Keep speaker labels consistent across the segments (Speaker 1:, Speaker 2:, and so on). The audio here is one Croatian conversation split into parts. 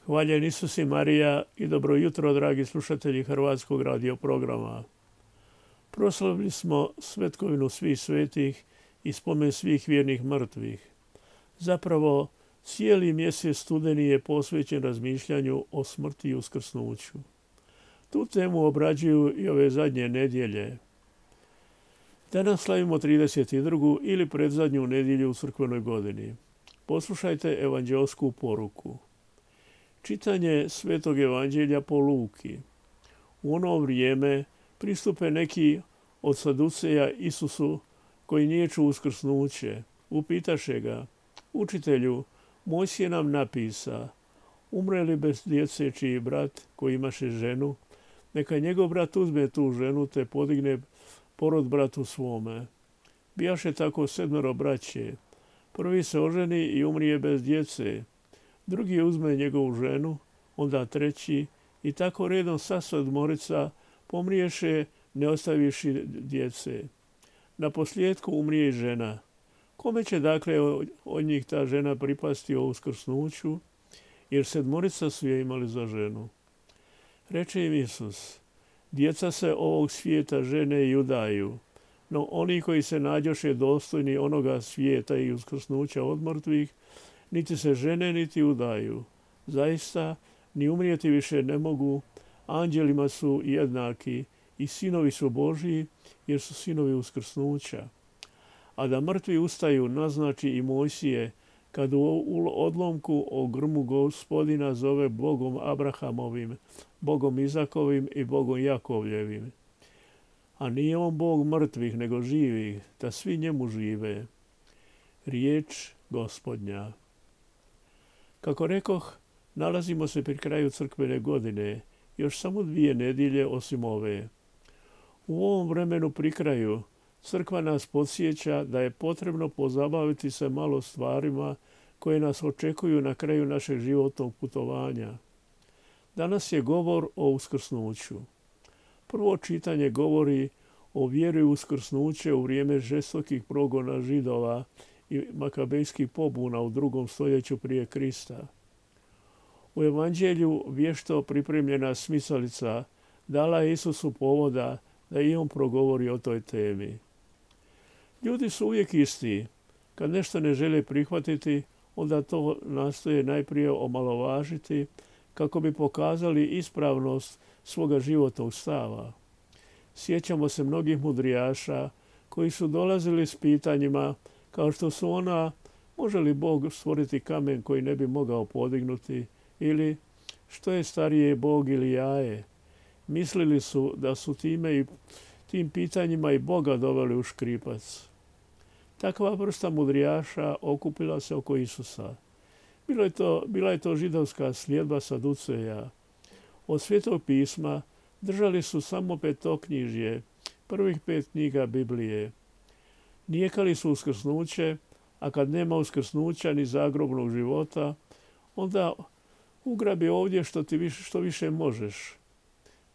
Speaker 1: Hvaljen Isus i Marija i dobro jutro, dragi slušatelji Hrvatskog radio programa. Proslavili smo svetkovinu svih svetih i spomen svih vjernih mrtvih. Zapravo, cijeli mjesec studeni je posvećen razmišljanju o smrti i uskrsnuću. Tu temu obrađuju i ove zadnje nedjelje. Danas slavimo 32. ili predzadnju nedjelju u crkvenoj godini. Poslušajte evanđelsku poruku. Čitanje Svetog evanđelja po Luki. U ono vrijeme pristupe neki od saduceja Isusu koji niječu uskrsnuće. Upitaše ga: Učitelju, Mojsije nam napisa, umre li bez djece čiji brat koji imaše ženu, neka njegov brat uzme tu ženu te podigne porod bratu svome. Bijaše tako 7 braće. Prvi se oženi i umrije bez djece. Drugi uzme njegovu ženu, onda treći, i tako redom sva 7 pomriješe ne ostaviši djece. Na posljedku umrije i žena. Kome će dakle od njih ta žena pripasti o uskrsnuću, jer 7 su je imali za ženu? Reče im Isus: Djeca se ovog svijeta žene i udaju, no oni koji se nađoše dostojni onoga svijeta i uskrsnuća od mrtvih, niti se žene niti udaju. Zaista, ni umrijeti više ne mogu, anđelima su jednaki i sinovi su Božji, jer su sinovi uskrsnuća. A da mrtvi ustaju naznači i Mojsije, kad u odlomku o grmu Gospodina zove Bogom Abrahamovim, Bogom Izakovim i Bogom Jakovljevim. A nije on Bog mrtvih, nego živih, da svi njemu žive. Riječ Gospodnja. Kako rekoh, nalazimo se pri kraju crkvene godine, još samo 2 nedjelje osim ove. U ovom vremenu pri kraju crkva nas podsjeća da je potrebno pozabaviti se malo stvarima koje nas očekuju na kraju našeg životnog putovanja. Danas je govor o uskrsnuću. Prvo čitanje govori o vjeri u uskrsnuće u vrijeme žestokih progona Židova i makabejskih pobuna u 2. stoljeću prije Krista. U evanđelju vješto pripremljena smicalica dala je Isusu povoda da i on progovori o toj temi. Ljudi su uvijek isti. Kad nešto ne žele prihvatiti, onda to nastoje najprije omalovažiti kako bi pokazali ispravnost svoga životnog stava. Sjećamo se mnogih mudrijaša koji su dolazili s pitanjima kao što su ona: može li Bog stvoriti kamen koji ne bi mogao podignuti, ili što je starije, Bog ili jaje? Mislili su da su tim pitanjima i Boga doveli u škripac. Takva vrsta mudrijaša okupila se oko Isusa. Bila je to židovska sljedba saduceja. Od Svetog pisma držali su samo petoknjižje, prvih 5 knjiga Biblije. Nijekali su uskrsnuće, a kad nema uskrsnuća ni zagrobnog života, onda ugrabi ovdje što više možeš.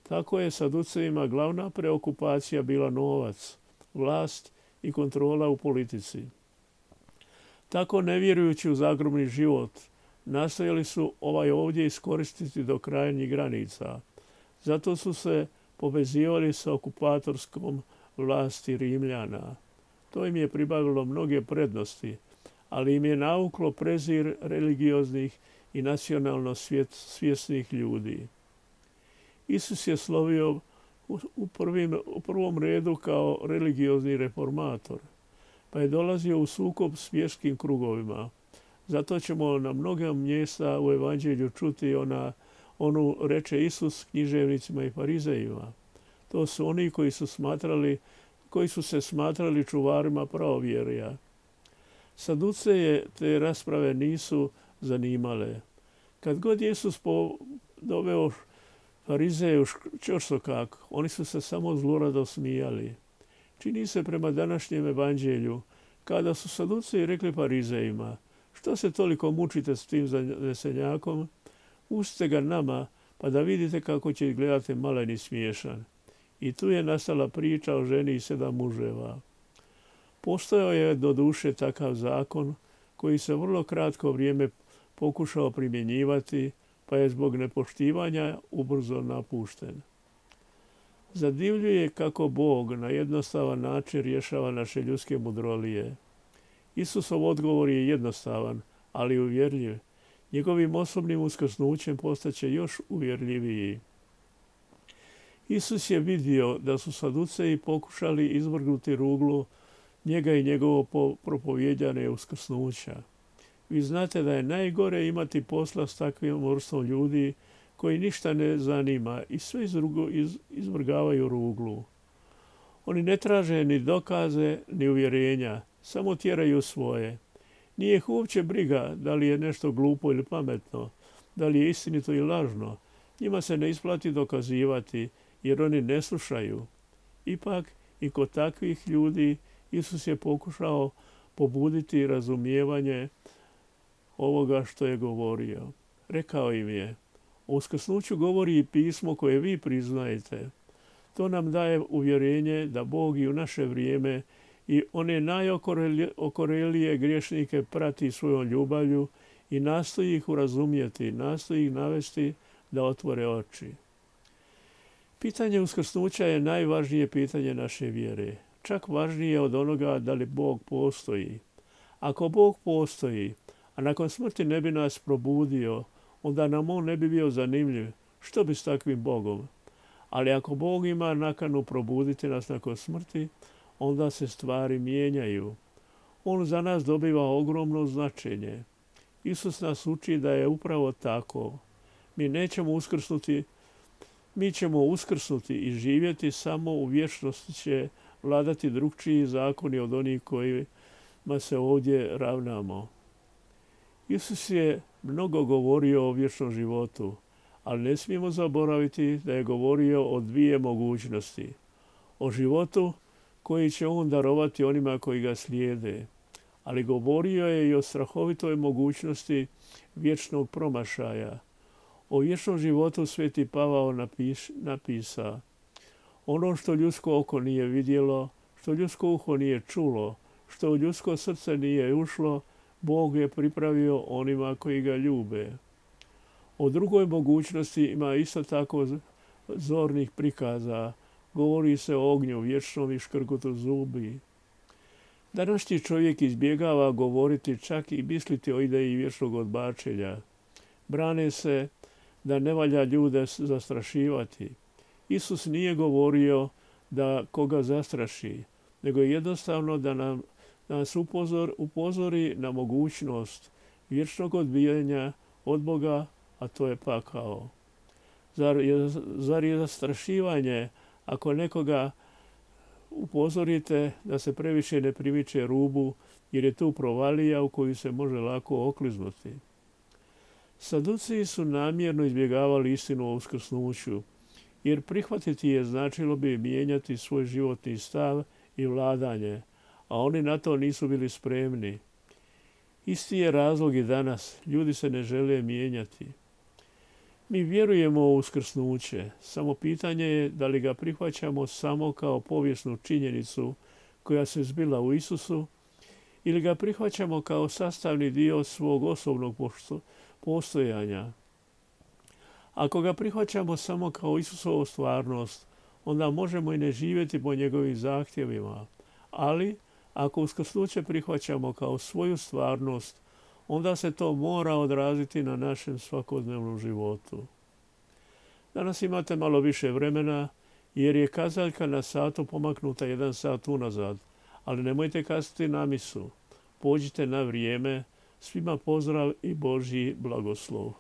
Speaker 1: Tako je saducejima glavna preokupacija bila novac, vlast i kontrola u politici. Tako, ne vjerujući u zagrobni život, nastojali su ovaj ovdje iskoristiti do krajnjih granica. Zato su se povezivali sa okupatorskom vlasti Rimljana. To im je pribavilo mnoge prednosti, ali im je nauklo prezir religioznih i nacionalno svjesnih ljudi. Isus je slovio u prvom redu kao religiozni reformator, pa je dolazio u sukob s vjerskim krugovima. Zato ćemo na mnoga mjesta u evanđelju čuti onu reče Isus književnicima i farizejima. To su oni koji su se smatrali čuvarima pravovjerja. Saduceje te rasprave nisu zanimale. Kad god Isus doveo farizeje u ćorsokak, oni su se samo zlurado smijali. Čini se prema današnjem evanđelju, kada su saduceji rekli farizejima: što se toliko mučite s tim zanesenjakom? Pustite ga nama, pa da vidite kako će izgledati malen i smiješan. I tu je nastala priča o ženi i 7 muževa. Postojao je doduše takav zakon koji se vrlo kratko vrijeme pokušao primjenjivati, pa je zbog nepoštivanja ubrzo napušten. Zadivljuje kako Bog na jednostavan način rješava naše ljudske mudrolije. Isusov odgovor je jednostavan, ali uvjerljiv. Njegovim osobnim uskrsnućem postaće još uvjerljiviji. Isus je vidio da su Saduceji pokušali izvrgnuti ruglu njega i njegovo propovijedanje uskrsnuća. Vi znate da je najgore imati posla s takvim vrstom ljudi koji ništa ne zanima i sve izvrgavaju ruglu. Oni ne traže ni dokaze, ni uvjerenja, samo tjeraju svoje. Nije ih uopće briga da li je nešto glupo ili pametno, da li je istinito ili lažno. Njima se ne isplati dokazivati jer oni ne slušaju. Ipak i kod takvih ljudi Isus je pokušao pobuditi razumijevanje ovoga što je govorio. Rekao im je: o uskrsnuću govori i pismo koje vi priznajete. To nam daje uvjerenje da Bog i u naše vrijeme i one najokorelije griješnike prati svojom ljubavlju i nastoji ih urazumjeti, nastoji ih navesti da otvore oči. Pitanje uskrsnuća je najvažnije pitanje naše vjere. Čak važnije od onoga da li Bog postoji. Ako Bog postoji, a nakon smrti ne bi nas probudio, onda nam on ne bi bio zanimljiv. Što bi s takvim Bogom? Ali ako Bog ima nakanu probuditi nas nakon smrti, onda se stvari mijenjaju. On za nas dobiva ogromno značenje. Isus nas uči da je upravo tako. Mi ćemo uskrsnuti i živjeti samo u vječnosti će vladati drukčiji zakoni od onih kojima se ovdje ravnamo. Isus je mnogo govorio o vječnom životu, ali ne smijemo zaboraviti da je govorio o dvije mogućnosti. O životu koji će on darovati onima koji ga slijede, ali govorio je i o strahovitoj mogućnosti vječnog promašaja. O vječnom životu Sveti Pavao napisa: ono što ljudsko oko nije vidjelo, što ljudsko uho nije čulo, što u ljudsko srce nije ušlo, Bog je pripravio onima koji ga ljube. O drugoj mogućnosti ima isto tako zornih prikaza. Govori se o ognju vječnom i škrgutu zubi. Današnji čovjek izbjegava govoriti, čak i misliti o ideji vječnog odbačenja. Brane se da ne valja ljude zastrašivati. Isus nije govorio da koga zastraši, nego jednostavno da nas upozori na mogućnost vječnog odbijanja od Boga, a to je pakao. Zar je zastrašivanje ako nekoga upozorite da se previše ne primiče rubu, jer je tu provalija u koju se može lako okliznuti? Saduciji su namjerno izbjegavali istinu o uskrsnuću, jer prihvatiti je značilo bi mijenjati svoj životni stav i vladanje, a oni na to nisu bili spremni. Isti je razlog i danas. Ljudi se ne žele mijenjati. Mi vjerujemo u uskrsnuće, samo pitanje je da li ga prihvaćamo samo kao povijesnu činjenicu koja se zbila u Isusu ili ga prihvaćamo kao sastavni dio svog osobnog postojanja. Ako ga prihvaćamo samo kao Isusovu stvarnost, onda možemo i ne živjeti po njegovim zahtjevima. Ali ako uskrsnuće prihvaćamo kao svoju stvarnost, onda se to mora odraziti na našem svakodnevnom životu. Danas imate malo više vremena jer je kazaljka na satu pomaknuta 1 sat unazad, ali nemojte kasniti na misu. Pođite na vrijeme. Svima pozdrav i Božji blagoslov.